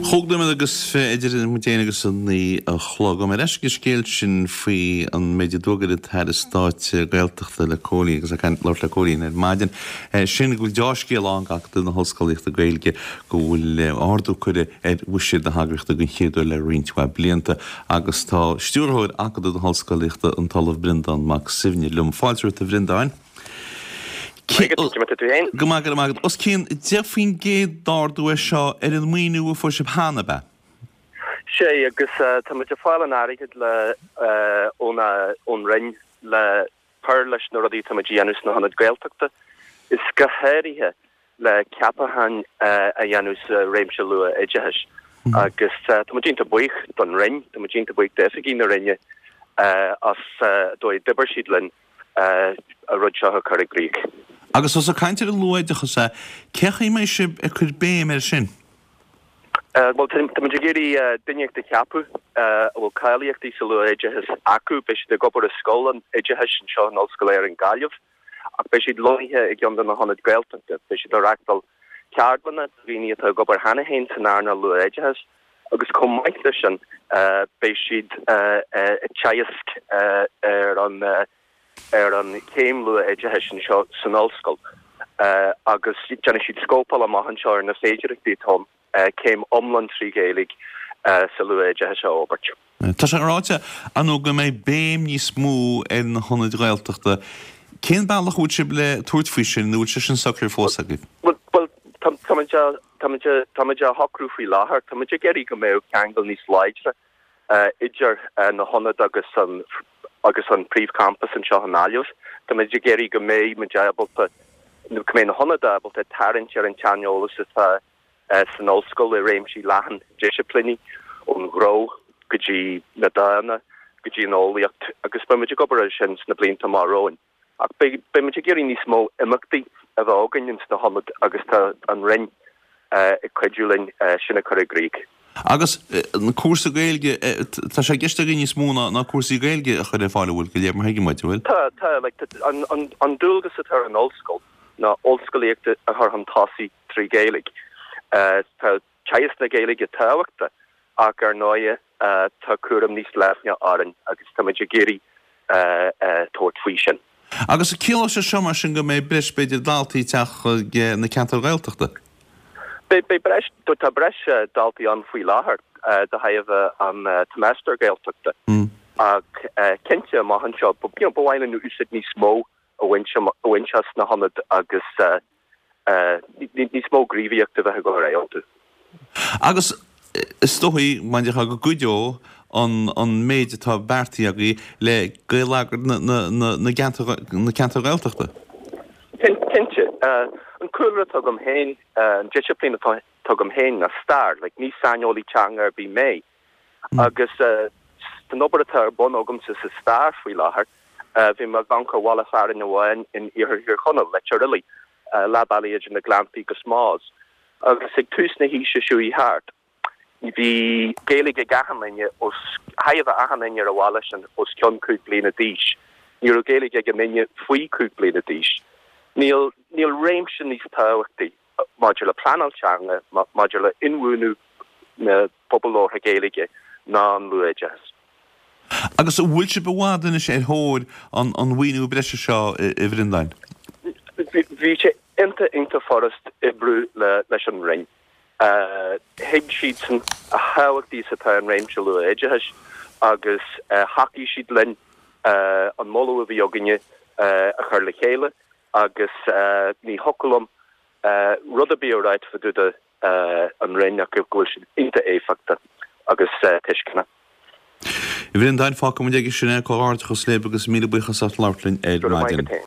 Chúig nóiméad agus fi idir muid féin agus a 9 a chlog. Gabhfaidh mé ar ais ag an scéal sin faoi an méid a d'fhógair an tAire Stáit Gaeltachta le Cóilín agus ag labhairt le Cóilín ar maidin. Sin go bhfuil deá-scéal ann d'Acadamh na hOllscolaíochta Gaeilge go bhfuil ardú curtha ar bhuiséad na heagraíochta den chéad uair le roinnt mhaith blianta agus tá Stiúrthóir Acadamh na hOllscolaíochta, an tOllamh Breandán Mac Suibhne liom. Fáilte romhat a Bhreandáin. Go maith, go raibh maith agat. Os cionn 10% d'ardú é seo ar an maoiniú a fuair sibh cheana, ab ea? Sea, agus tá muid ag fáil an airgid le ón ón Roinn le cur leis na rudaí atá muid a dhéanamh sna hionaid Gaeltachta, is go háirithe le ceapacháin a dhéanamh sa réimse luath-oideachais. Agus tá muid iontach buíoch don Roinn, tá muid iontach buíoch d'oifigigh na Roinne as an dóigh a d'oibir siad linn an rud seo a chur i gcrích. Agus ós ag caint ar an luath-oideachas é, cén chaoi a mbeidh sibh ag cur béim air sin? Bhuel, tá muid ag iarraidh duine a cheapadh a bhfuil cáilíochtaí sa luath-oideachas acu. Beidh siad ag obair i Scoil an Oideachais anseo in Ollscoil Éireann Gaillimh ach beidh siad lonnaithe i gceann de na hionaid Gaeltachta. Beidh siad ag reachtáil ceardlanna do dhaoine atá ag obair cheana féin san earnáil luath-oideachais agus chomh maith leis sin beidh siad ag teagasc ar an ar an chéim luath-oideachais anseo san ollscoil agus déanfaidh siad scópáil amach anseo ar na féidearthachtaí atá ann céim iomlán 3 Ghaeilge sa luath-oideachas a fhorbairt. Tá sé ráite, ar ndóigh, go mbeidh béim níos mó ar na hionaid Ghaeltachta. Cén bealach a bhfuil sibh le tabhairt faoi sin nó an bhfuil sé sin socraithe fós agaibh? Bhuel, táimid táimid á shocrú faoi láthair. Táimid ag iarraidh go mbeadh ceangal níos láidre idir na hionaid agus an agus an príomhchampas anseo i nGaillimh. Táimid ag iarraidh go mbeidh muid ábalta, nó go mbeidh na hionaid ábalta tarraingt ar an tsaineolas atá san ollscoil i réimsí leathan disciplíní, ón ghnó go dtí na dána go dtí an eolaíocht, agus beidh muid ag obair air sin sna blianta amach romhainn. Ach beidh muid ag iarraidh níos mó imeachtaí a bheith againn ins na hionaid agus tá an Roinn ag cuidiú linn sin a chur i gcrích. Agus an cúrsa Gaeilge, tá sé i gceist agaibh níos mó ná cúrsaí Gaeilge a chur ar fáil, an bhfuil, de réir mar a thuigim uait, an bhfuil? Tá, tá. Like, an dualgas atá ar an ollscoil ná ollscolaíocht a chur chun tosaigh trí Ghaeilge. Tá teagasc na Gaeilge tábhachtach ach ar ndóighe tá cúram níos leithne orainn agus táimid ag iarraidh tabhairt faoi sin. Agus ciallóidh sé seo mar sin go mbeidh breis b'fhéidir daltaí ag teacht chuig na ceantair Ghaeltachta? Beidh breis, tá breis daltaí ann faoi láthair de thairbhe an tSeimeastair Gaeltachta ach cinnte amach anseo ba mhaith linn úsáid níos mó a bhaint as na hionaid agus níos mó gníomhaíochta a bheith ag dul ar aghaidh iontu. Agus is dóigh, mar a déarfá, go gcuideoidh an méid atá beartaithe agaibh le geilleagar na gceantar Gaeltachta. Cinnte. An cúlra atá agam féin, an disciplín atá agam féin ná stair. Like, ní saineolaí teanga ar bith mé. Agus san obair atá ar bun agamsa sa stair faoi láthair, bhí mé ag amharc ar bhaile fearainn amháin in iarthar Thír Chonaill, Leitir Fhilaidh, leath bealaigh idir na Gleanntaí agus Maghas. Agus ag tús na haoise seo chuaigh thart, bhí Gaeilge ag achan duine, os, thaibhe achan duine ar an bhaile sin os cionn 5 bliana d'aois. Ní raibh Gaeilge ag aon duine faoi 5 bliana d'aois. Níl, níl réimse níos tábhachtaí maidir le pleanáil teanga, maidir le inbhuanú na pobal labhartha Gaeilge ná an luathoideachas. Agus an bhfuil sibh i bhfad anois ar thóir an mhaoiniú breise seo, a Bhreandáin? Bhí sé iontach, iontach furast oibriú leis an Roinn. Thuig siadsan a thábhachtaí is atá an réimse luathoideachais agus thacaigh siad linn an moladh a bhí againne a chur le chéile agus ní thiocfadh liom rud ar bith a ráit fá dtaobh de an Roinn ach go bhfuil siad iontach éifeachtach agus tuisceanach. A Bhreandáin, fágfaidh muid aige sin é. Comhghairdeachas libh agus míle buíochas as labhairt linn ar Go raibh maith maidin. agat féin.